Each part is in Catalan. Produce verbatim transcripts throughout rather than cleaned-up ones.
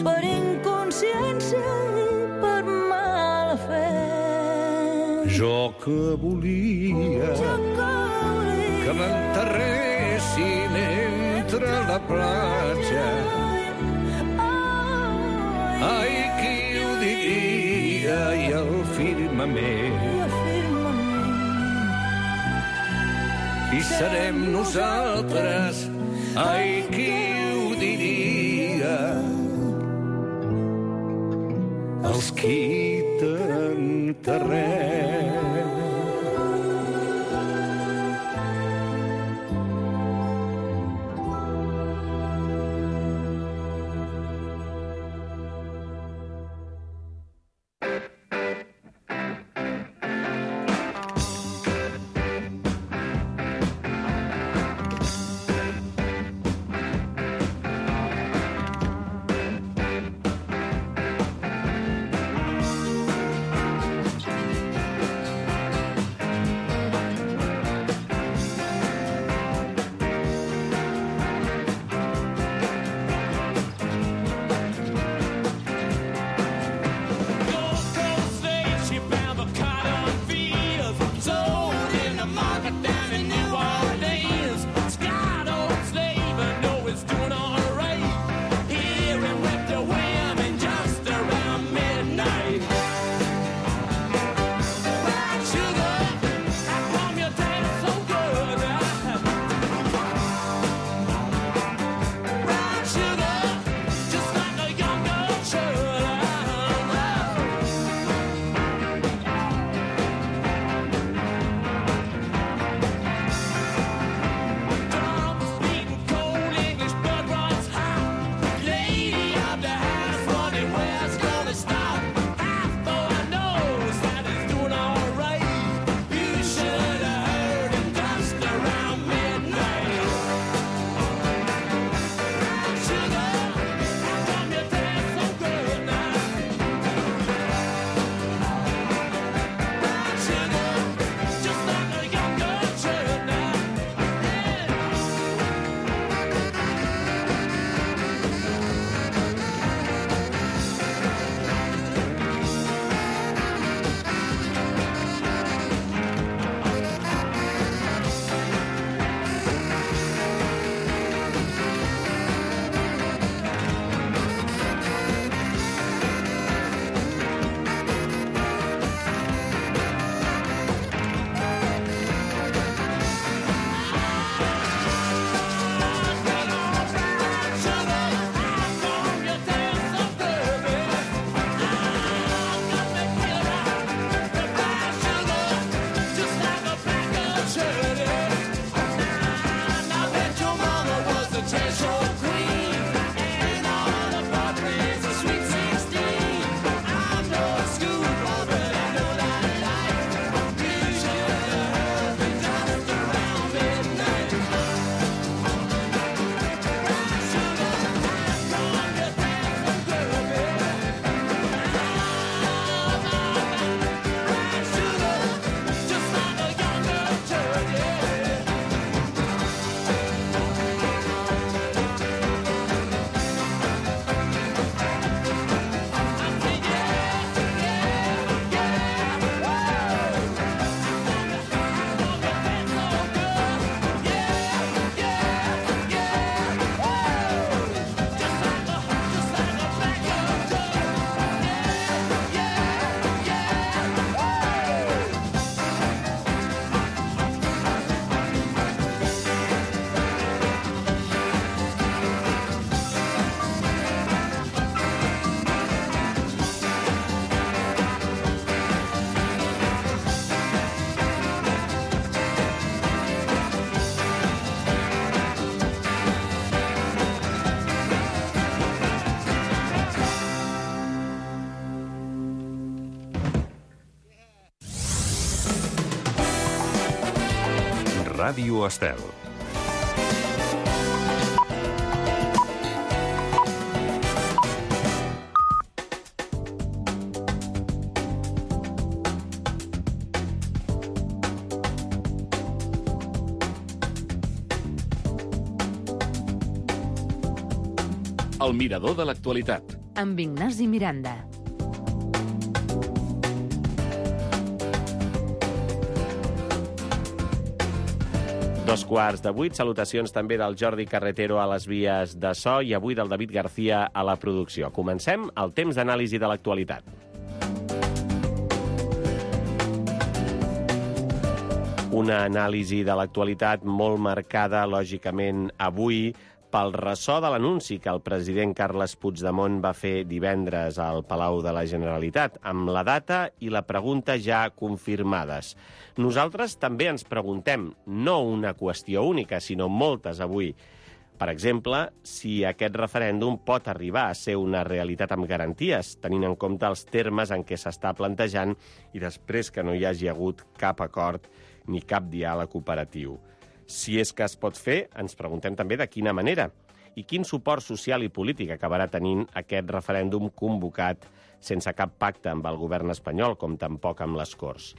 per inconsciència i per mala fe. Jo que volia, Jo que volia que m'enterressin entre la platja. Ai, qui ho diria, i el firmament. I serem nosaltres, ai, qui ho diria, els qui t'enterrem. Ràdio Estel. El mirador de l'actualitat. Amb Ignasi Miranda. Dos quarts de vuit, salutacions també del Jordi Carretero a les vies de so i avui del David García a la producció. Comencem el temps d'anàlisi de l'actualitat. Una anàlisi de l'actualitat molt marcada, lògicament, avui pel ressò de l'anunci que el president Carles Puigdemont va fer divendres al Palau de la Generalitat, amb la data i la pregunta ja confirmades. Nosaltres també ens preguntem, no una qüestió única, sinó moltes avui. Per exemple, si aquest referèndum pot arribar a ser una realitat amb garanties, tenint en compte els termes en què s'està plantejant i després que no hi hagi hagut cap acord ni cap diàleg operatiu. Si és que es pot fer, ens preguntem també de quina manera i quin suport social i polític acabarà tenint aquest referèndum convocat sense cap pacte amb el govern espanyol, com tampoc amb les Corts.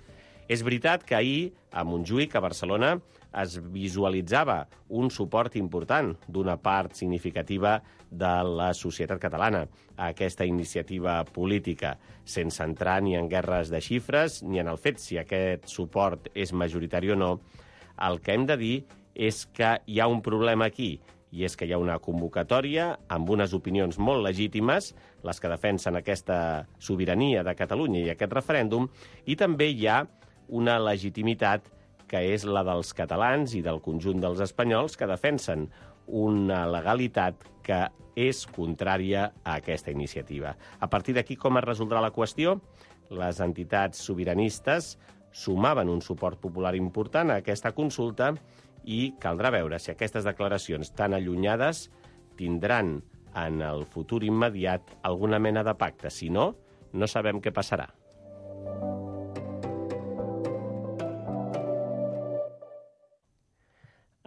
És veritat que ahir, a Montjuïc, a Barcelona, es visualitzava un suport important d'una part significativa de la societat catalana a aquesta iniciativa política, sense entrar ni en guerres de xifres ni en el fet si aquest suport és majoritari o no. El que hem de dir és que hi ha un problema aquí, i és que hi ha una convocatòria amb unes opinions molt legítimes, les que defensen aquesta sobirania de Catalunya i aquest referèndum, i també hi ha una legitimitat que és la dels catalans i del conjunt dels espanyols que defensen una legalitat que és contrària a aquesta iniciativa. A partir d'aquí, com es resoldrà la qüestió? Les entitats sobiranistes sumaven un suport popular important a aquesta consulta i caldrà veure si aquestes declaracions tan allunyades tindran en el futur immediat alguna mena de pacte. Si no, no sabem què passarà.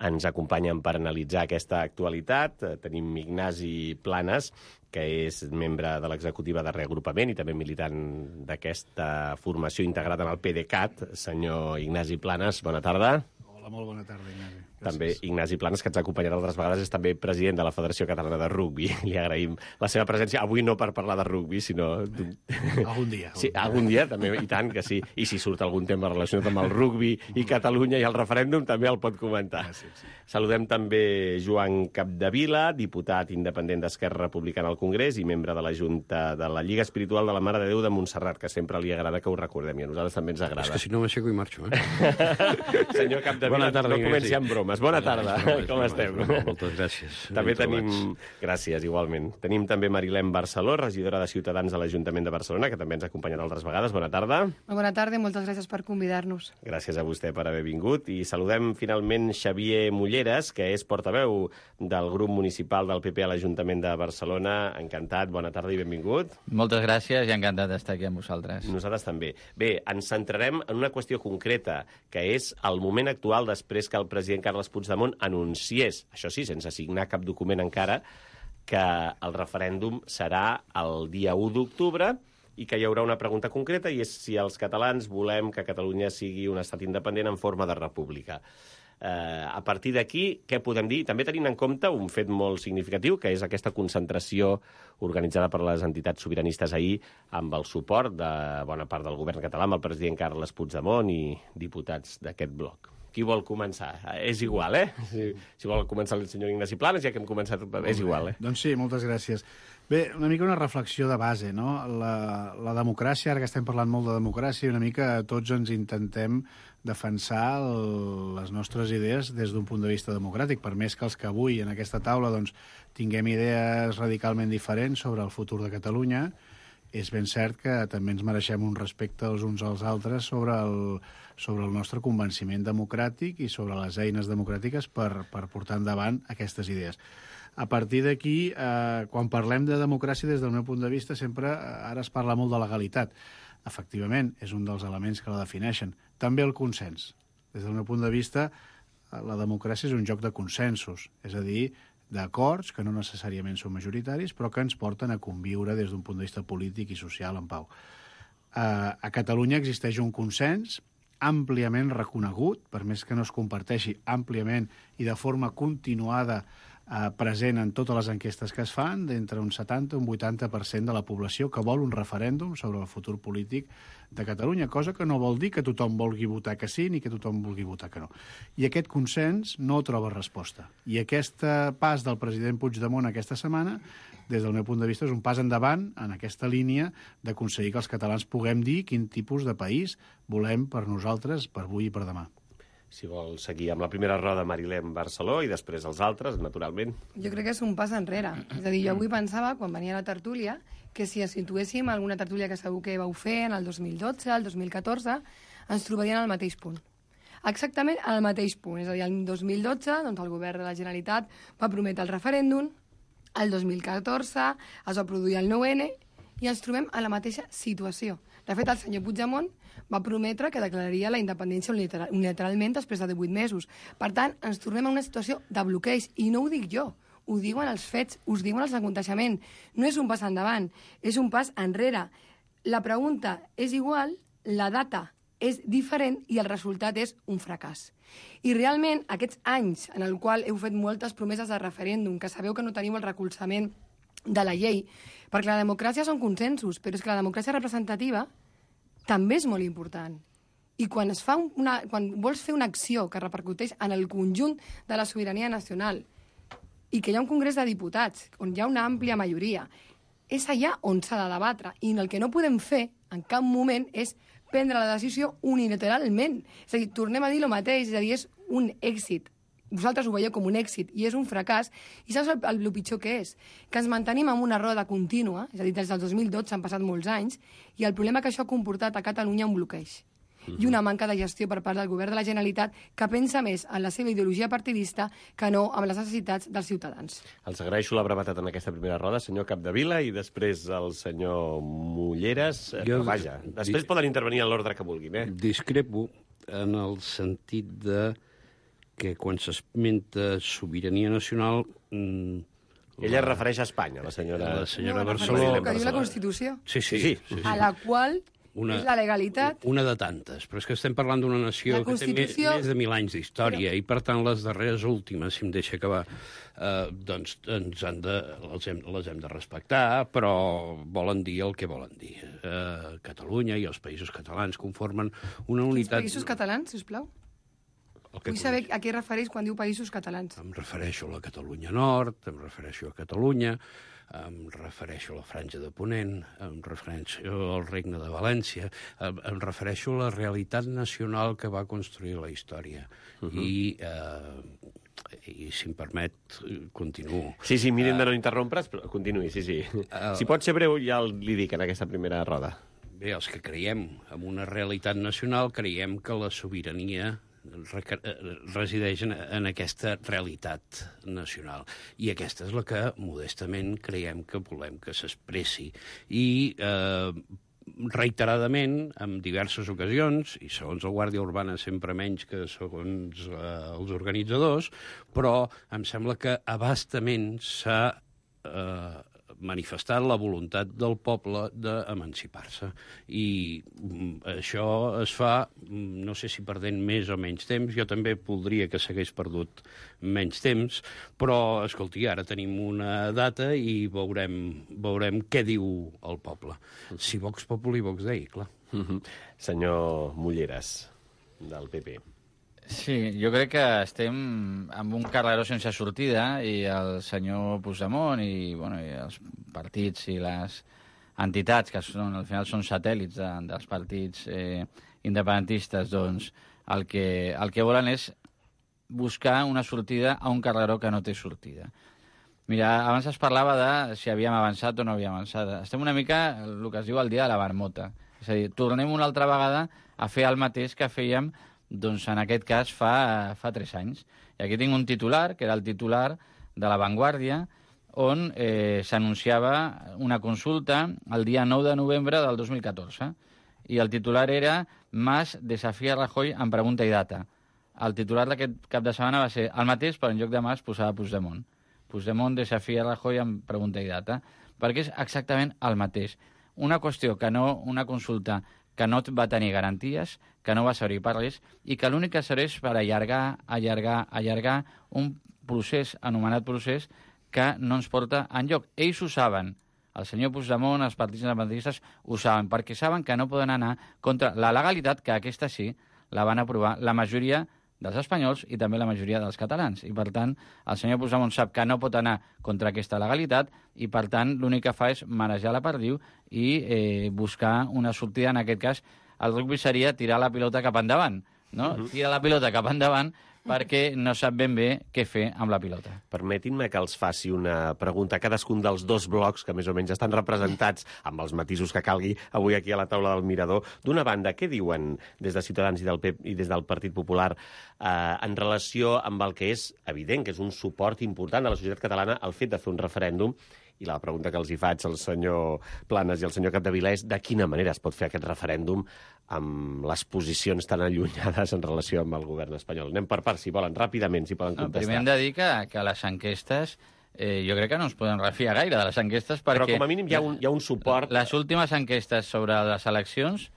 Ens acompanyen per analitzar aquesta actualitat. Tenim Ignasi Planes, que és membre de l'executiva de reagrupament i també militant d'aquesta formació integrada en el PDeCAT. Senyor Ignasi Planes, bona tarda. Hola, molt bona tarda, Ignasi. Gràcies. També Ignasi Planes, que ens ha acompanyat altres vegades, és també president de la Federació Catalana de Rugbi. Li agraïm la seva presència, avui no per parlar de rugbi, sinó... Algun dia. Sí, algun dia, també, i tant que sí. I si surt algun tema relacionat amb el rugbi i Catalunya i el referèndum, també el pot comentar. Sí, sí. Saludem també Joan Capdevila, diputat independent d'Esquerra Republicana al Congrés i membre de la Junta de la Lliga Espiritual de la Mare de Déu de Montserrat, que sempre li agrada que ho recordem, i a nosaltres també ens agrada. És que si no m'aixeco i marxo, eh? Senyor Capdevila, tarda, no comenci amb bromes. Bona tarda, no, com no, estem? No, moltes gràcies. També Ben tenim... trobats. Gràcies, igualment. Tenim també Marilén Barceló, regidora de Ciutadans de l'Ajuntament de Barcelona, que també ens ha acompanyat altres vegades. Bona tarda. Bona tarda i moltes gràcies per convidar-nos. Gràcies a vostè per haver vingut. I saludem finalment Xavier Mulleres, que és portaveu del grup municipal del P P a l'Ajuntament de Barcelona. Encantat, bona tarda i benvingut. Moltes gràcies i encantat d'estar aquí amb vosaltres. Nosaltres també. Bé, ens centrarem en una qüestió concreta, que és el moment actual després que el president Carles Puigdemont anunciés, això sí, sense signar cap document encara, que el referèndum serà el dia u d'octubre i que hi haurà una pregunta concreta, i és si els catalans volem que Catalunya sigui un estat independent en forma de república. Eh, a partir d'aquí, què podem dir? També tenint en compte un fet molt significatiu, que és aquesta concentració organitzada per les entitats sobiranistes ahir amb el suport de bona part del govern català, amb el president Carles Puigdemont i diputats d'aquest bloc. Qui vol començar? És igual, eh? Si, si vol començar el senyor Ignasi Planes, ja que hem començat, és igual, eh? Doncs sí, moltes gràcies. Bé, una mica una reflexió de base, no? La, la democràcia, ara que estem parlant molt de democràcia, una mica tots ens intentem defensar el, les nostres idees des d'un punt de vista democràtic, per més que els que avui en aquesta taula doncs, tinguem idees radicalment diferents sobre el futur de Catalunya, és ben cert que també ens mereixem un respecte els uns als altres sobre el, sobre el nostre convenciment democràtic i sobre les eines democràtiques per, per portar endavant aquestes idees. A partir d'aquí, eh, quan parlem de democràcia, des del meu punt de vista, sempre ara es parla molt de legalitat. Efectivament, és un dels elements que la defineixen. També el consens. Des del meu punt de vista, la democràcia és un joc de consensos, és a dir, d'acords que no necessàriament són majoritaris, però que ens porten a conviure des d'un punt de vista polític i social en pau. A, a Catalunya existeix un consens àmpliament reconegut, per més que no es comparteixi àmpliament i de forma continuada eh, present en totes les enquestes que es fan, d'entre un setanta i un vuitanta per cent de la població que vol un referèndum sobre el futur polític de Catalunya, cosa que no vol dir que tothom vulgui votar que sí ni que tothom vulgui votar que no. I aquest consens no troba resposta. I aquest pas del president Puigdemont aquesta setmana, des del meu punt de vista, és un pas endavant en aquesta línia d'aconseguir que els catalans puguem dir quin tipus de país volem per nosaltres, per avui i per demà. Si vol seguir amb la primera roda, Marilén Barceló, i després els altres, naturalment. Jo crec que és un pas enrere. És a dir, jo avui pensava, quan venia a la tertúlia, que si ens situéssim alguna tertúlia que segur que vau fer en el dos mil dotze, el dos mil catorze, ens trobarien al mateix punt. Exactament al mateix punt. És a dir, el dos mil dotze, doncs, el govern de la Generalitat va prometre el referèndum, el dos mil catorze es va produir el nou ene i ens trobem a la mateixa situació. De fet, el senyor Puigdemont va prometre que declararia la independència unilateralment després de divuit mesos. Per tant, ens tornem a una situació de bloqueig. I no ho dic jo, ho diuen els fets, us diuen els aconteixements. No és un pas endavant, és un pas enrere. La pregunta és igual, la data és diferent i el resultat és un fracàs. I realment, aquests anys en el qual heu fet moltes promeses de referèndum, que sabeu que no teniu el recolzament de la llei, perquè la democràcia són consensos, però és que la democràcia representativa també és molt important. I quan, es fa una, quan vols fer una acció que repercuteix en el conjunt de la sobirania nacional i que hi ha un congrés de diputats on hi ha una àmplia majoria, és allà on s'ha de debatre. I el que no podem fer en cap moment és prendre la decisió unilateralment. És a dir, tornem a dir el mateix, és a dir, és un èxit. Vosaltres ho veieu com un èxit i és un fracàs. I saps el, el, el pitjor que és? Que ens mantenim en una roda contínua, és a dir, des del dos mil dotze han passat molts anys, i el problema que això ha comportat a Catalunya un bloqueig. Uh-huh. I una manca de gestió per part del govern de la Generalitat que pensa més en la seva ideologia partidista que no en les necessitats dels ciutadans. Els agraeixo la brevetat en aquesta primera roda, senyor Capdevila, i després el senyor Mulleres. Jo, vaja, després dis... poden intervenir en l'ordre que vulguin, eh? Discrepo en el sentit de que quan s'esmenta sobirania nacional... Mmm, Ella es refereix a Espanya, la senyora, la senyora no, Barceló. Que diu la Constitució. Sí, sí, sí, sí, sí. A la qual una, és la legalitat. Una de tantes, però és que estem parlant d'una nació que té més, més de mil anys d'història però... i, per tant, les darreres últimes, si em deixa acabar, eh, doncs ens han de, les, hem, les hem de respectar, però volen dir el que volen dir. Eh, Catalunya i els països catalans conformen una unitat... Quins països catalans, sisplau? Vull saber a què refereix quan diu països catalans. Em refereixo a la Catalunya Nord, em refereixo a Catalunya, em refereixo a la Franja de Ponent, em refereixo al Regne de València, em, em refereixo a la realitat nacional que va construir la història. Uh-huh. I, eh, i, si em permet, continuo. Sí, sí, miren de no interrompre's, però continuï, sí, sí. Uh, si pot ser breu, ja li dic en aquesta primera roda. Bé, els que creiem en una realitat nacional, creiem que la sobirania resideix en, en aquesta realitat nacional. I aquesta és la que, modestament, creiem que volem que s'expressi. I eh, reiteradament, en diverses ocasions, i segons la Guàrdia Urbana sempre menys que segons eh, els organitzadors, però em sembla que abastament s'ha eh, manifestat la voluntat del poble d'emancipar-se. I això es fa, no sé si perdent més o menys temps, jo també voldria que s'hagués perdut menys temps, però, escolti, ara tenim una data i veurem, veurem què diu el poble. Si Vox Populi, Vox Dei, clar. Mm-hmm. Senyor Mulleres, del P P. Sí, jo crec que estem amb un carreró sense sortida i el senyor Puigdemont i, bueno, i els partits i les entitats, que són, al final són satèl·lits de, dels partits eh, independentistes, doncs el que, el que volen és buscar una sortida a un carreró que no té sortida. Mira, abans es parlava de si havíem avançat o no havíem avançat. Estem una mica, el que es diu, el dia de la marmota. És a dir, tornem una altra vegada a fer el mateix que fèiem, doncs en aquest cas fa, fa tres anys. I aquí tinc un titular, que era el titular de La Vanguardia, on eh, s'anunciava una consulta el dia nou de novembre del dos mil catorze. I el titular era Mas desafia Rajoy en pregunta i data. El titular d'aquest cap de setmana va ser el mateix, però en lloc de Mas posava Puigdemont. Puigdemont desafia Rajoy en pregunta i data, perquè és exactament el mateix. Una qüestió que no, una consulta que no va tenir garanties, que no va servir per res, i que l'únic que serveix per allargar, allargar, allargar un procés, anomenat procés, que no ens porta enlloc. Ells ho saben. El senyor Puigdemont, els partits independentistes ho saben, perquè saben que no poden anar contra la legalitat, que aquesta sí la van aprovar la majoria dels espanyols i també la majoria dels catalans. I, per tant, el senyor Puigdemont sap que no pot anar contra aquesta legalitat i, per tant, l'únic que fa és marejar la perdiu i eh, buscar una sortida. En aquest cas, el rugby seria tirar la pilota cap endavant, no? Uh-huh. Tira la pilota cap endavant perquè no sap ben bé què fer amb la pilota. Permetin-me que els faci una pregunta a cadascun dels dos blocs que més o menys estan representats amb els matisos que calgui avui aquí a la taula del Mirador. D'una banda, què diuen des de Ciutadans i del P E P i des del Partit Popular eh, en relació amb el que és evident, que és un suport important de la societat catalana al fet de fer un referèndum? I la pregunta que els hi faig al senyor Planes i al senyor Capdevila és de quina manera es pot fer aquest referèndum amb les posicions tan allunyades en relació amb el govern espanyol. Anem per part, si volen, ràpidament, si poden No, contestar. primer hem de dir que, que les enquestes, eh, jo crec que no ens podem refiar gaire de les enquestes perquè... Però com a mínim hi ha un, hi ha un suport... Les últimes enquestes sobre les eleccions,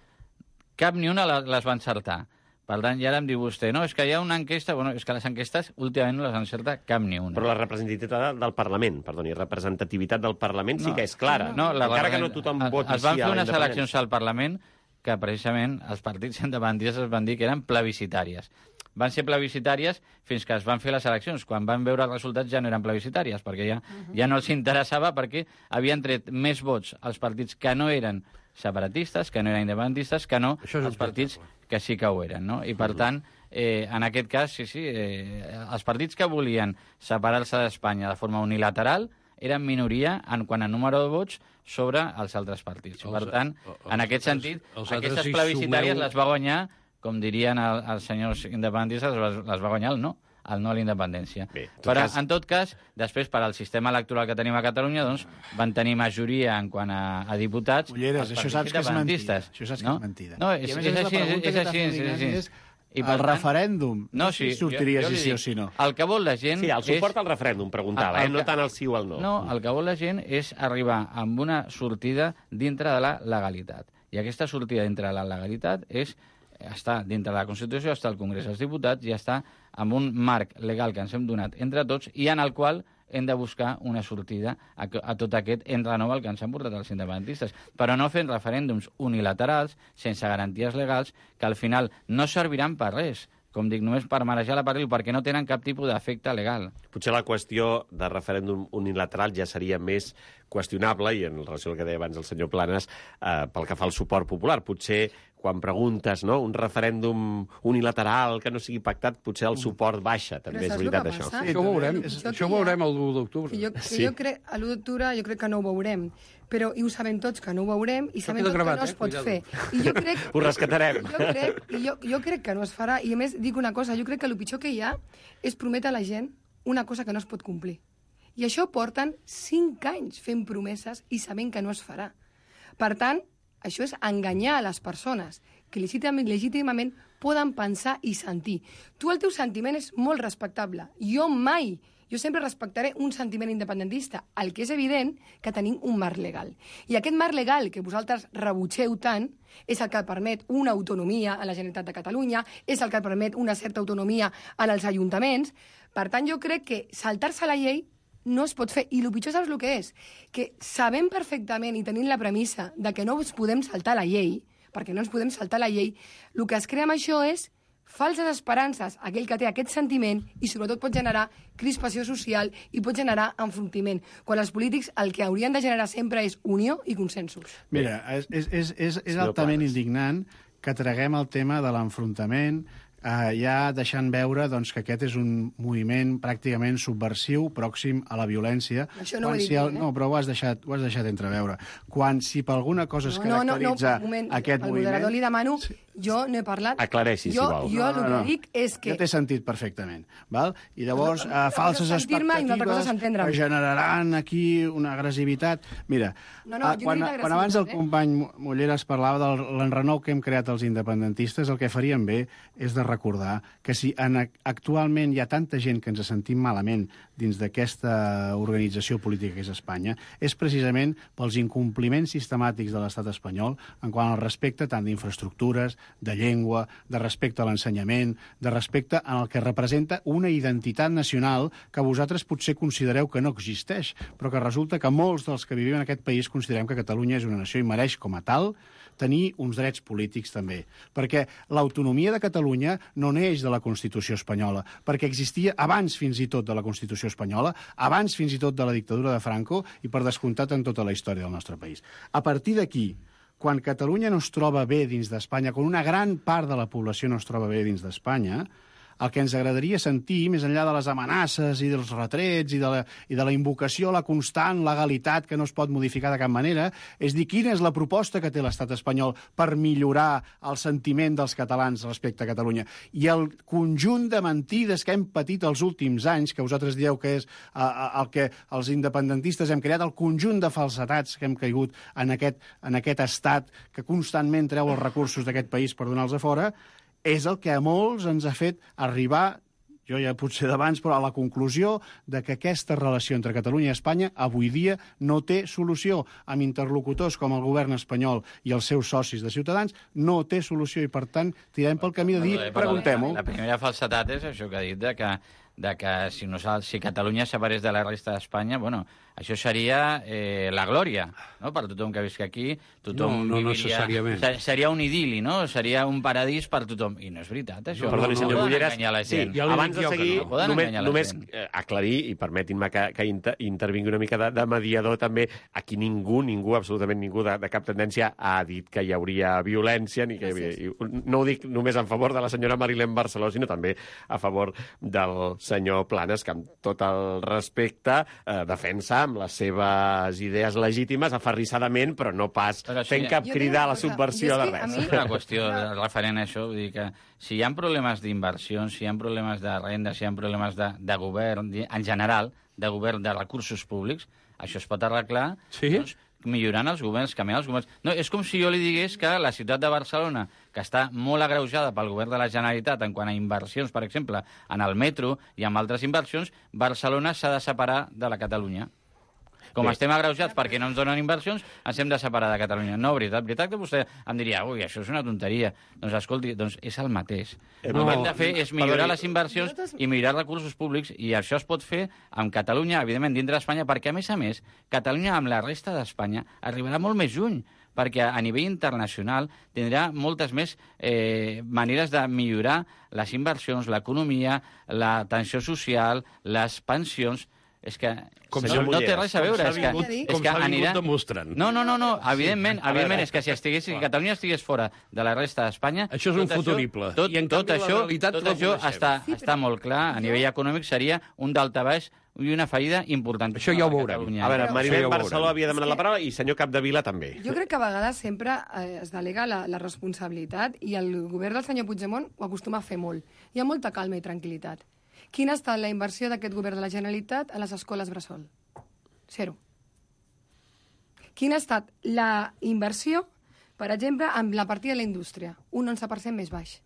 cap ni una les va encertar. Per tant, ja ara em diu vostè, no, és que hi ha una enquesta... Bueno, és que les enquestes últimament no les encerta cap ni una. Però la representativitat del Parlament, perdoni, representativitat del Parlament sí No, que és clara. No, la encara que no tothom es, voti es van sí fer a la unes eleccions independència. al Parlament que precisament els partits independentistes es van dir que eren plebiscitàries. Van ser plebiscitàries fins que es van fer les eleccions. Quan van veure els resultats ja no eren plebiscitàries, perquè ja, ja no els interessava, perquè havien tret més vots als partits que no eren separatistes, que no eren independentistes, que no els partits que sí que ho eren, no? I, per tant, eh, en aquest cas, sí, sí, eh, els partits que volien separar-se d'Espanya de forma unilateral eren minoria en quant a número de vots sobre els altres partits. Els, per tant, els, en aquest els, sentit, els aquestes altres plebiscitàries sumeu... les va guanyar, com dirien el, els senyors independentistes, les, les va guanyar el no, el no a la independència. Bé, en tot Però, cas... en tot cas, després, per al sistema electoral que tenim a Catalunya, doncs, van tenir majoria en quant a, a diputats Ulleres, els això partits saps que és mentida. independentistes. Això saps no? que és mentida. No, I és, a més a és més, la així, és, pregunta és que així, t'ha és fet així. és I, el referèndum, no, sí, si sortiries jo, jo i sí dic, o sí no. El que vol la gent Sí, el suport és... al referèndum, preguntava, El- el eh? no que- tant el sí o el no. No, el que vol la gent és arribar amb una sortida dintre de la legalitat. I aquesta sortida dintre de la legalitat és està dintre de la Constitució, està al Congrés dels Diputats i està amb un marc legal que ens hem donat entre tots i en el qual hem de buscar una sortida a, a tot aquest enrenou al que ens han portat els independentistes. Però no fent referèndums unilaterals, sense garanties legals, que al final no serviran per res. Com dic, només per marejar la perdiu, perquè no tenen cap tipus d'efecte legal. Potser la qüestió de referèndum unilateral ja seria més qüestionable, i en relació al que deia abans el senyor Planes, eh, pel que fa al suport popular. Potser, quan preguntes, no?, un referèndum unilateral que no sigui pactat, potser el suport baixa, també és saps veritat, el que això. passa? Això ho veurem, Jo això que ho hi ha- veurem el l'u d'octubre. Que jo, que Sí. jo crec, a l'u d'octubre jo crec que no ho veurem, però i ho sabem tots que no ho veurem i sabem queda tots gravat, que no es eh? pot Cuidado. fer. I jo crec... Ho rescatarem. Jo crec, i jo, jo crec que no es farà, i a més dic una cosa, jo crec que el pitjor que hi ha és prometre a la gent una cosa que no es pot complir. I això porten cinc anys fent promeses i sabent que no es farà. Per tant, això és enganyar a les persones que legítimament, legítimament poden pensar i sentir. Tu, el teu sentiment és molt respectable. Jo mai, jo sempre respectaré un sentiment independentista. El que és evident que tenim un marc legal. I aquest marc legal que vosaltres rebutgeu tant és el que permet una autonomia a la Generalitat de Catalunya, és el que permet una certa autonomia en els ajuntaments. Per tant, jo crec que saltar-se la llei no es pot fer. I el pitjor saps el que és? Que sabem perfectament i tenint la premissa de que no ens podem saltar la llei, perquè no ens podem saltar la llei, el que es crea amb això és falses esperances a aquell que té aquest sentiment i sobretot pot generar crispació social i pot generar enfrontament, quan els polítics el que haurien de generar sempre és unió i consensos. Mira, és, és, és, és, és Senyor altament Planes. indignant que traguem el tema de l'enfrontament, eh, ja deixant veure doncs, que aquest és un moviment pràcticament subversiu, pròxim a la violència. Això no ho Quan he dit si el, jo, eh? No, però ho has deixat, ho has deixat entreveure. Quan, si per alguna cosa es No, no, no, caracteritza un moment, aquest al moviment... moderador li demano, jo no he parlat... Aclareixi, si jo, vol. Jo el que dic és que... Jo t'he sentit perfectament, val? I llavors, No, eh, una falses cosa és sentir-me i una altra cosa és expectatives entendre'm. que generaran aquí una agressivitat. Mira, No, no, eh, jo no quan, he dit quan abans el agressivitat, eh? company Mulleres parlava de l'enrenou que hem creat els independentistes, el que faríem bé és de recordar que si en, actualment hi ha tanta gent que ens sentim malament dins d'aquesta organització política que és Espanya, és precisament pels incompliments sistemàtics de l'estat espanyol en quant al respecte tant d'infraestructures, de llengua, de respecte a l'ensenyament, de respecte en el que representa una identitat nacional que vosaltres potser considereu que no existeix, però que resulta que molts dels que vivim en aquest país considerem que Catalunya és una nació i mereix com a tal tenir uns drets polítics també. Perquè l'autonomia de Catalunya no neix de la Constitució espanyola, perquè existia abans fins i tot de la Constitució espanyola, abans fins i tot de la dictadura de Franco i per descomptat en tota la història del nostre país. A partir d'aquí, quan Catalunya no es troba bé dins d'Espanya, quan una gran part de la població no es troba bé dins d'Espanya, el que ens agradaria sentir, més enllà de les amenaces i dels retrets i de la, i de la invocació a la constant legalitat que no es pot modificar de cap manera, és dir quina és la proposta que té l'estat espanyol per millorar el sentiment dels catalans respecte a Catalunya. I el conjunt de mentides que hem patit els últims anys, que vosaltres dieu que és uh, el que els independentistes hem creat, el conjunt de falsetats que hem caigut en aquest, en aquest estat que constantment treu els recursos d'aquest país per donar-los a fora, és el que a molts ens ha fet arribar, jo ja potser d'abans, però a la conclusió de que aquesta relació entre Catalunya i Espanya avui dia no té solució. Amb interlocutors com el govern espanyol i els seus socis de Ciutadans, no té solució i, per tant, tirem pel camí de dir, preguntem-ho. La primera falsetat és això que ha dit, de que, de que si, no, si Catalunya separés de la resta d'Espanya, bueno, això seria eh, la glòria, no?, per tothom que visca aquí. Tothom no, no viviria, necessàriament. Seria un idili, no? Seria un paradís per tothom. I no és veritat, això. No, perdoni, no, senyor no Mulleras, la sí, gent. ja abans de seguir, no. només, només gent. eh, aclarir, i permetin-me que, que inter, intervingui una mica de, de mediador també, aquí ningú, ningú, absolutament ningú de, de cap tendència ha dit que hi hauria violència, ni que hi havia, i no ho dic només en favor de la senyora Marilén Barceló, sinó també a favor del senyor Planes, que amb tot el respecte eh, defensa amb les seves idees legítimes, aferrissadament, però no pas però sí, fent cap jo crida a la dic una cosa, subversió és de que res. a mi- És una qüestió referent a això, vull dir que si hi ha problemes d'inversions, si hi ha problemes de renda, si hi ha problemes de, de govern, en general, de govern de recursos públics, això es pot arreglar Sí? doncs, millorant els governs, canviant els governs. No, és com si jo li digués que la ciutat de Barcelona, que està molt agreujada pel govern de la Generalitat en quant a inversions, per exemple, en el metro i amb altres inversions, Barcelona s'ha de separar de la Catalunya. Com Bé. estem agreujats perquè no ens donen inversions, ens hem de separar de Catalunya. No, veritat, veritat que vostè em diria, ui, això és una tonteria. Doncs escolti, doncs és el mateix. Eh, No, el que hem no, de fer és millorar perdoni. les inversions i millorar els recursos públics, i això es pot fer amb Catalunya, evidentment, dintre d'Espanya, perquè, a més a més, Catalunya amb la resta d'Espanya arribarà molt més lluny, perquè a nivell internacional tindrà moltes més eh, maneres de millorar les inversions, l'economia, l'atenció social, les pensions. És que Com no, senyor no té Mulleras, res a veure. com És s'ha que, vingut- és com que s'ha vingut anirà... demostrant. No, no, no, no. evidentment, Sí. evidentment A veure, és que si, estigués, si Catalunya estigués fora de la resta d'Espanya... Això és un tot futurible. Tot, I, en tot canvi, la això, realitat tot la això coneixem. està, Sí, però està molt clar. A nivell econòmic seria un daltabaix i una fallida important. Això ja ho veurem. A veure, Però- Marilén Això ja ho Barceló veurem. havia demanat la paraula i senyor Capdevila també. Jo crec que a vegades sempre eh, es delega la, la responsabilitat i el govern del senyor Puigdemont ho acostuma a fer molt. Hi ha molta calma i tranquil·litat. Quina ha estat la inversió d'aquest govern de la Generalitat a les escoles bressol? Zero. Quina ha estat la inversió, per exemple, amb la partida de la indústria? Un onze per cent més baix.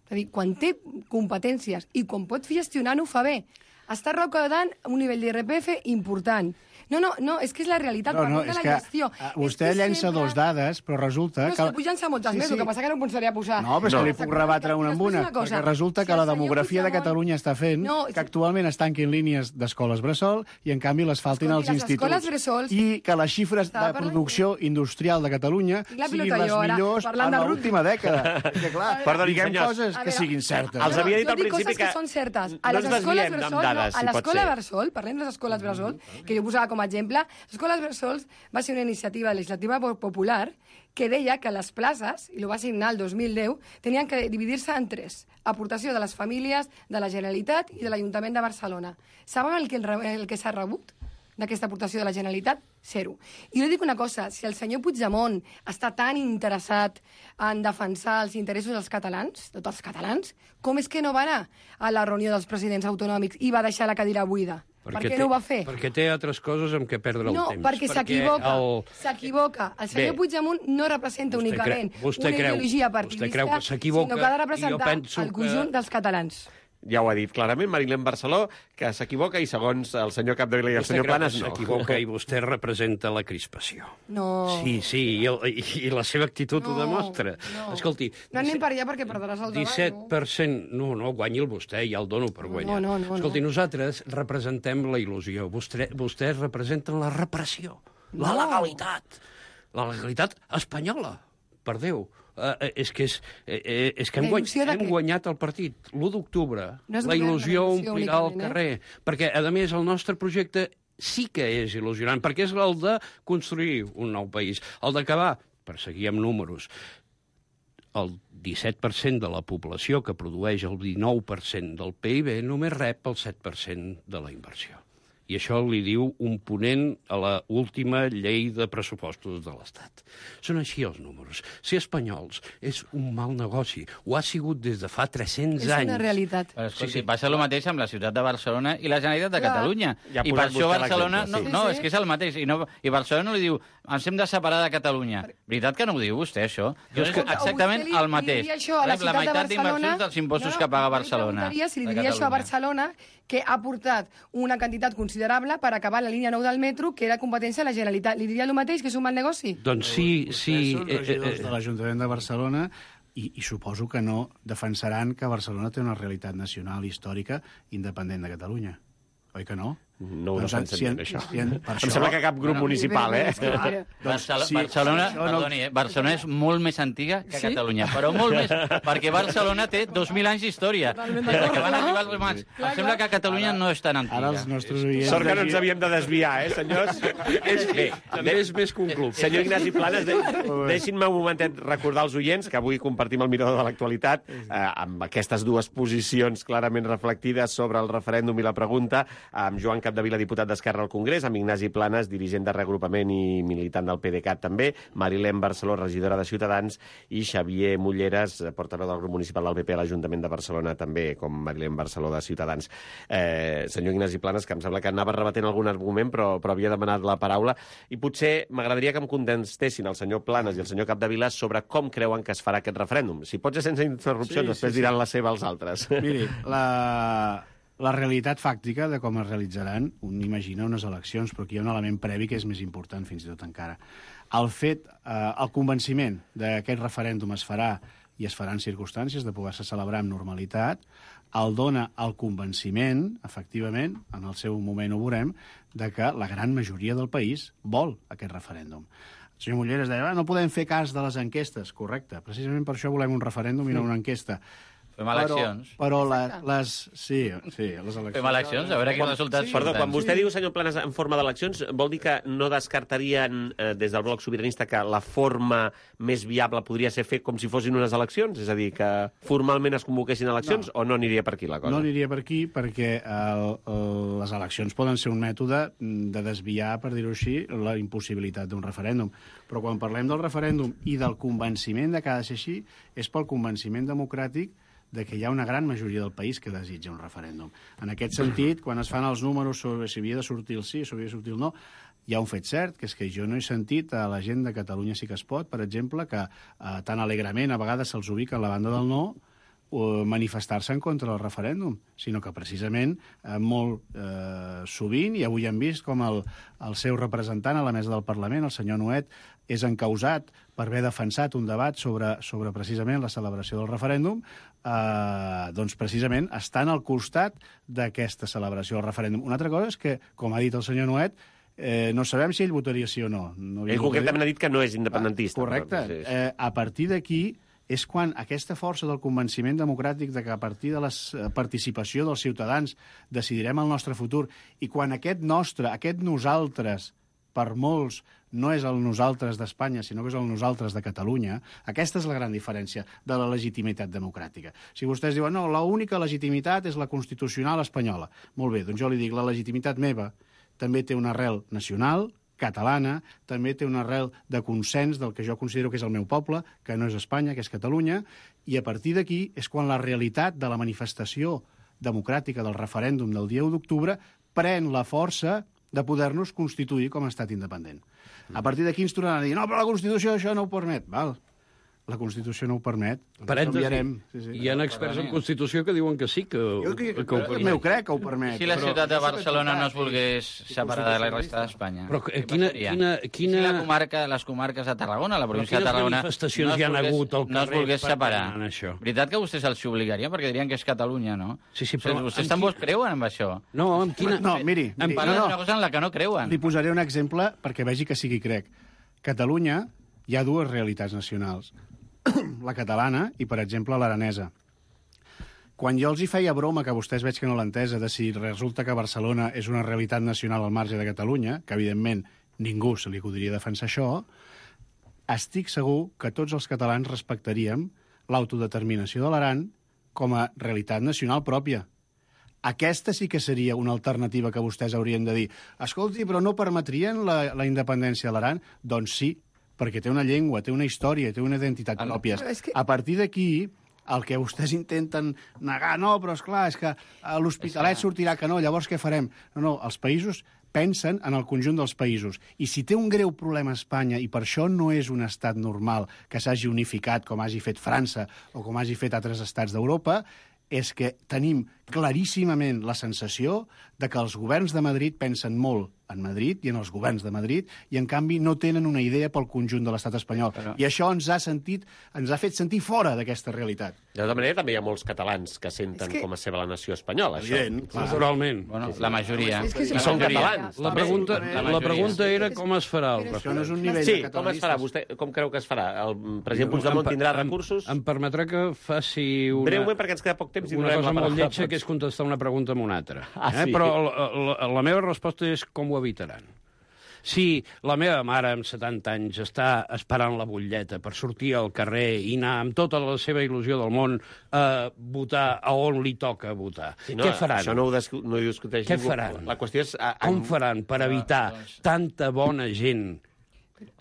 És a dir, quan té competències i quan pot gestionar-ho, fa bé. Està recaudant un nivell d'I R P F important. No, no, no, és que és la realitat, No, no, parlem de és la que gestió. uh, És vostè que llença sempre- dos dades, però resulta No, és que... que pugen-se moltes més, el que passa que no em pensaria posar. No, però és No. que li puc rebatre una amb una, perquè resulta que la demografia de Catalunya està fent No, que actualment es tanquin línies d'escoles bressol i, en canvi, les faltin Escolti, als les escoles instituts. bressols- I que les xifres de Estava parlant- producció industrial de Catalunya Tinc la siguin pilota les jo, ara, millors parlant en de rugby. l'última dècada. Perquè, clar, Perdoni, diguem senyors. coses A que veure, siguin certes. Els No, havia dit jo al dic principi coses que, que són certes. no A les ens escoles desviem amb bressol, dades, no, si a pot l'escola ser. bressol, parlem de les escoles bressol, que jo posava com a exemple, les escoles bressol va ser una iniciativa legislativa popular que deia que les places, i ho va signar el dos mil deu, tenien que dividir-se en tres. Aportació de les famílies, de la Generalitat i de l'Ajuntament de Barcelona. Saben el que, el que s'ha rebut d'aquesta aportació de la Generalitat? Zero. I jo dic una cosa, si el senyor Puigdemont està tan interessat en defensar els interessos dels catalans, de tots els catalans, com és que no va anar a la reunió dels presidents autonòmics i va deixar la cadira buida? Per què té, no ho va fer? Perquè té altres coses amb què perdre No, el temps. perquè s'equivoca. el- S'equivoca. El senyor Bé. Puigdemont no representa Vostè únicament creu- vostè una creu- ideologia vostè partidista, creu que s'equivoca, sinó que ha de i jo representar penso el conjunt que- dels catalans. Ja ho ha dit clarament Marilén Barceló, que s'equivoca i segons el senyor Capdevila i el Vostè senyor creu Planes que no. s'equivoca i vostè representa la crispació. No. Sí, sí, i, el, i, i la seva actitud No, ho demostra. no. Escolti... No anem per allà perquè perdràs el debat, disset per cent... No, no, guanyi'l vostè, ja el dono per guanyar. No, no, no, Escolti, no. nosaltres representem la il·lusió. Vostè, vostès representen la repressió, la No. legalitat. La legalitat espanyola, per Déu. Uh, és que, és, eh, és que hem, La guany, il·lusió de hem què? guanyat el partit. l'u d'octubre, No és la govern, il·lusió la il·lusió omplirà el únicament, eh? carrer. Perquè, a més, el nostre projecte sí que és il·lusionant, perquè és el de construir un nou país. El d'acabar, per seguir amb números, el disset per cent de la població que produeix el dinou per cent del P I B només rep el set per cent de la inversió. I això li diu un ponent a la última llei de pressupostos de l'Estat. Són així els números. Ser espanyols és un mal negoci. Ho ha sigut des de fa tres-cents És anys. una realitat. Però, escolti, Sí, sí. passa el mateix amb la ciutat de Barcelona i la Generalitat de Clar. Catalunya. Ja ha I per posat això vostè Barcelona... l'exemple, No, sí. no, Sí, sí. és que és el mateix. I, no, I Barcelona li diu, ens hem de separar de Catalunya. Veritat que no ho diu vostè, això? Jo és que Escolta, exactament vostè li- el mateix. Li diria això a la Rep la ciutat de meitat Barcelona... d'inversions dels impostos No, no, que paga jo li Barcelona. preguntaria si li de diria això a Catalunya. Barcelona, que ha portat una quantitat considerable per acabar la línia nou del metro, que era competència de la Generalitat. Li diria el mateix, que és un mal negoci? Doncs sí, sí... Vostès són regidors de l'Ajuntament de Barcelona i, i suposo que no defensaran que Barcelona té una realitat nacional històrica independent de Catalunya. Oi que no? No ho Doncs, defensem si en- ben, això. si en- per Em això- sembla que cap grup Bueno, municipal, eh? és que- Barcel sí, Barcelona, això no- perdoni, eh? Barcelona és molt més antiga que Sí? Catalunya, però molt més, perquè Barcelona té dos mil anys d'història. Totalment Des d'acord, que van clar. arribar els romans. Clar, Em sembla clar. que Catalunya no és tan antiga. Ara els nostres oients... Sort que no ens d'aquí- havíem de desviar, eh, senyors? És bé. També és més que un club. Senyor Ignasi Planes, de, deixin-me un momentet recordar als oients que avui compartim el mirador de l'actualitat eh, amb aquestes dues posicions clarament reflectides sobre el referèndum i la pregunta, amb Joan Capdevila, diputat d'Esquerra al Congrés, amb Ignasi Planes, dirigent de reagrupament i militant del P D C A T també, Marilén Barceló, regidora de Ciutadans, i Xavier Mulleres, portaveu del grup municipal del P P a l'Ajuntament de Barcelona, també com Marilén Barceló de Ciutadans. Eh, senyor Ignasi Planes, que em sembla que anava rebatent algun argument, però, però havia demanat la paraula, i potser m'agradaria que em contestessin el senyor Planes i el senyor Capdevila sobre com creuen que es farà aquest referèndum. Si pot ser sense interrupcions, Sí, sí, després sí. diran la seva als altres. Miri, la, la realitat fàctica de com es realitzaran, un imagina unes eleccions, però aquí hi ha un element previ que és més important fins i tot encara. El fet, eh, el convenciment d'aquest referèndum es farà i es faran circumstàncies de poder-se celebrar amb normalitat, el dona el convenciment, efectivament, en el seu moment ho veurem, de que la gran majoria del país vol aquest referèndum. El senyor Mulleres deia, ah, no podem fer cas de les enquestes. Correcte, precisament per això volem un referèndum i no una enquesta. Fem eleccions. Però, però la, les... Sí, sí, les eleccions... Fem eleccions, a veure quins resultats Sí. Perdó, surten. quan vostè diu, senyor Planes, en forma d'eleccions, vol dir que no descartarien eh, des del bloc sobiranista que la forma més viable podria ser fer com si fossin unes eleccions? És a dir, que formalment es convoquessin eleccions no. o no aniria per aquí la cosa? No aniria per aquí perquè el, el, les eleccions poden ser un mètode de desviar, per dir-ho així, la impossibilitat d'un referèndum. Però quan parlem del referèndum i del convenciment de que ha de ser així, és pel convenciment democràtic de que hi ha una gran majoria del país que desitja un referèndum. En aquest sentit, quan es fan els números sobre si havia de sortir el sí o si havia de sortir el no, hi ha un fet cert, que és que jo no he sentit a la gent de Catalunya sí que es pot, per exemple, que eh, tan alegrament a vegades se'ls ubica a la banda del no, o manifestar-se en contra del referèndum, sinó que precisament eh, molt eh, sovint, i avui hem vist com el, el seu representant a la mesa del Parlament, el senyor Nuet, és encausat per haver defensat un debat sobre, sobre precisament la celebració del referèndum, eh, doncs precisament estan al costat d'aquesta celebració del referèndum. Una altra cosa és que, com ha dit el senyor Nuet, eh, no sabem si ell votaria sí o no. no Ell concretament ha dit que no és independentista. Ah, correcte. Però, sí, sí. Eh, a partir d'aquí és quan aquesta força del convenciment democràtic de que a partir de la participació dels ciutadans decidirem el nostre futur i quan aquest nostre, aquest nosaltres, per molts, no és el nosaltres d'Espanya, sinó que és el nosaltres de Catalunya, aquesta és la gran diferència de la legitimitat democràtica. Si vostès diuen, no, l'única legitimitat és la constitucional espanyola. Molt bé, doncs jo li dic, la legitimitat meva també té una arrel nacional, catalana, també té una arrel de consens del que jo considero que és el meu poble, que no és Espanya, que és Catalunya, i a partir d'aquí és quan la realitat de la manifestació democràtica del referèndum del dia u d'octubre pren la força de poder-nos constituir com a estat independent. A partir d'aquí ens tornaran a dir no, però la Constitució això no ho permet. Val. La Constitució no ho permet. Parèntesi, sí, sí. hi ha experts en Constitució que diuen que sí, que, Jo que, que, que ho ho permet. meu crec que ho permet. Si la però- ciutat de Barcelona no es volgués separar de la resta d'Espanya. Però què quina- passaria? quina- quina- Si la comarca, les comarques de Tarragona, la província de quines Tarragona... manifestacions es hi han volgués- hagut al No es carrer volgués per separar. demanar això? Veritat que vostès els obligarien? Perquè dirien que és Catalunya, no? Sí, sí, però Vostès amb també qui- creuen en això? No, amb quina... No, miri, Em miri Parlen no, d'una no. cosa en la que no creuen. Li posaré un exemple perquè vegi que sí que hi crec. Catalunya hi ha dues realitats nacionals. La catalana i, per exemple, l'aranesa. Quan jo els hi feia broma, que vostès veig que no l'ha entesa, de si resulta que Barcelona és una realitat nacional al marge de Catalunya, que evidentment ningú se li acudiria defensar això, estic segur que tots els catalans respectaríem l'autodeterminació de l'Aran com a realitat nacional pròpia. Aquesta sí que seria una alternativa que vostès haurien de dir. Escolti, però no permetrien la, la independència de l'Aran? Doncs sí, perquè té una llengua, té una història, té una identitat El- pròpies. Però és que- A partir d'aquí, el que vostès intenten negar, no, però és clar, és que a l'Hospitalet És que- sortirà que no, llavors què farem? No, no, els països pensen en el conjunt dels països. I si té un greu problema a Espanya, i per això no és un estat normal que s'hagi unificat com hagi fet França o com hagi fet altres estats d'Europa, és que tenim claríssimament la sensació de que els governs de Madrid pensen molt en Madrid i en els governs de Madrid i, en canvi, no tenen una idea pel conjunt de l'estat espanyol. Però- I això ens ha sentit, ens ha fet sentir fora d'aquesta realitat. De tota manera, també hi ha molts catalans que senten És que- com a seva la nació espanyola. Evident, Això. clar. Naturalment. Bueno, la majoria. És que I són majoria. catalans. La també. pregunta, La la majoria. pregunta era com es farà el Però Això no és un nivell Sí, de com es farà? Vostè com creu que es farà? El president Puigdemont Em- tindrà em- recursos? Em permetrà que faci una... Breument, perquè ens queda poc temps i una donarem cosa la molt paraula a lletja, tots. que és contestar una pregunta amb una altra. Ah, eh? sí? Però la, la, la meva resposta és com ho evitaran. Si la meva mare, amb setanta anys, està esperant la butlleta per sortir al carrer i anar amb tota la seva il·lusió del món a votar a on li toca votar, Sí, no, què faran? Això no ho, discu no ho discuteix Què ningú. faran? La qüestió és... A, a, Com faran per evitar doncs- tanta bona gent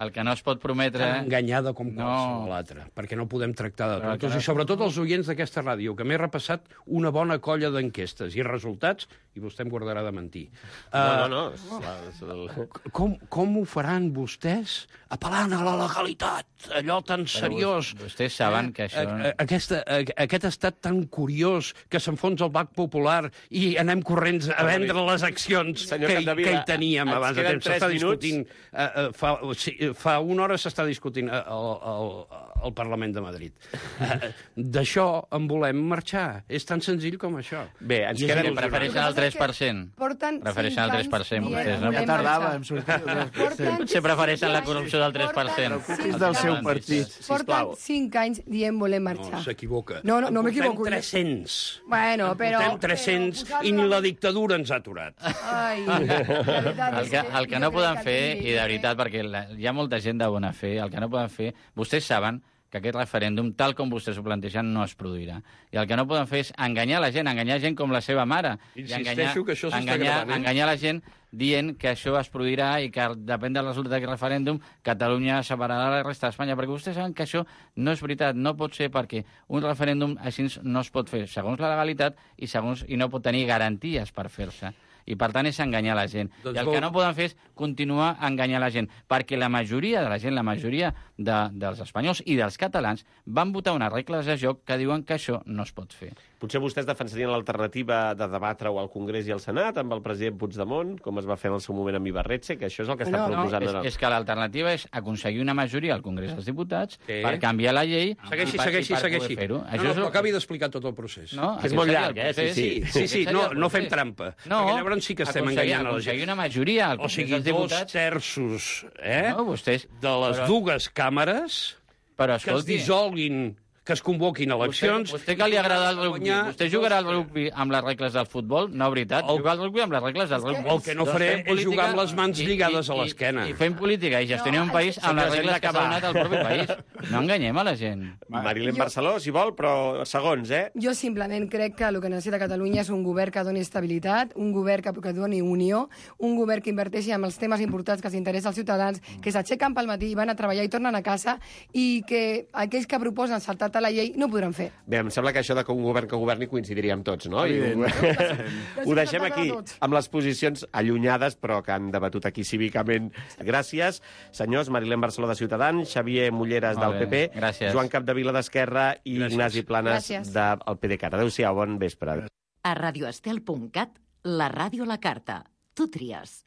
El que no es pot prometre... tan enganyada com No. qualsevol altra? Perquè no podem tractar de Però el que tots. no- I sobretot els oients d'aquesta ràdio, que m'he repassat una bona colla d'enquestes i resultats, i vostè em guardarà de mentir. No, no, Uh, no. És, la- és el... Com, com ho faran vostès apel·lant a la legalitat, allò tan seriós? vos- vostès saben que això- A- a- Aquesta, a- aquest estat tan curiós que s'enfonsa el Banc Popular i anem corrents a vendre les accions Senyor que, Capdevila, que hi teníem ens abans de queden temps. tres S'està minuts. discutint... Uh, uh, fa, sí, fa una hora s'està discutint al, al, al Parlament de Madrid. Uh, D'això en volem marxar. És tan senzill com això. Bé, ens I és queden- il·lusionant. Prefereixen el tres per cent. Porten Prefereixen el cinc tres per cent, anys vostès, dient no? volem Ja tardava, marxar. hem sortit del tres per cent. Porten Potser prefereixen la cinc corrupció del tres per cent. anys- Preocupi's del seu partit. Porten sisplau. cinc anys dient volem marxar. No, s'equivoca. No, no, no En m'equivoco. portem tres-cents. Bueno, però... Portem tres-cents però i ni la posar-lo- dictadura ens ha aturat. Ai, la veritat El és que, el que jo no crec poden que fer, aquí- i de veritat, perquè la, hi ha molta gent de bona fe, el que no poden fer, vostès saben que aquest referèndum, tal com vostès ho plantegen, no es produirà. I el que no poden fer és enganyar la gent, enganyar gent com la seva mare. I Insisteixo enganyar, que això s'està enganyar, gravant, eh? enganyar la gent dient que això es produirà i que depèn del resultat d'aquest referèndum Catalunya separarà la resta d'Espanya, perquè vostès saben que això no és veritat, no pot ser perquè un referèndum així no es pot fer segons la legalitat i, segons, i no pot tenir garanties per fer-se. I, per tant, és enganyar la gent. Doncs I el vol- que no poden fer és continuar enganyant la gent, perquè la majoria de la gent, la majoria de, dels espanyols i dels catalans van votar unes regles de joc que diuen que això no es pot fer. Potser vostès defensarien l'alternativa de debatre-ho al Congrés i al Senat amb el president Puigdemont, com es va fer en el seu moment amb Ibarretxe, que això és el que està No, no, proposant. és, ara. és que l'alternativa és aconseguir una majoria al Congrés dels Diputats Sí. per canviar la llei Segueixi, i per, segueixi, i per segueixi. poder fer-ho. No, Això no, és el- però acabi d'explicar tot el procés. No, Que és aquest molt seria llarg, el eh? Sí, procés. sí. Sí, sí, Aquest seria no, el no fem procés. trampa. No, Perquè llavors sí que estem aconseguir- enganyant a la aconseguir gent. una majoria al O Congrés sigui, dels dos Diputats. terços eh, No, vostès... de les però- dues càmeres Però, que es escolti, dissolguin, que es convoquin eleccions... Vostè, vostè que li agrada el i rugby, guanyar vostè jugarà al rugby amb les regles del futbol? No, veritat, El- jugar al rugby amb les regles del rugby. el que no Doncs faré fem és política jugar amb les mans i- lligades i- a l'esquena. I, i fem política i gestionar No, un país això- amb les Senyors, hem regles que s'ha d'acabar. donat al propi país. No enganyem a la gent. Marilén Jo- Barceló, si vol, però segons, eh? Jo simplement crec que el que necessita Catalunya és un govern que doni estabilitat, un govern que, que doni unió, un govern que inverteixi en els temes importants que s'interessa als ciutadans, que s'aixequen pel matí i van a treballar i tornen a casa, i que aquells que proposen saltar vetar la llei, no ho podran fer. Bé, em sembla que això de que un govern que governi coincidiríem tots, no? Evident. I ho, ho deixem aquí, amb les posicions allunyades, però que han debatut aquí cívicament. Gràcies, senyors. Marilén Barceló de Ciutadans, Xavier Mulleres del Molt P bé, P, gràcies. Joan Capdevila d'Esquerra i Gràcies. Ignasi Planes Gràcies. del PDeCAT. Adéu-siau, bon vespre. A radioestel punt cat, la ràdio a la carta. Tu tries.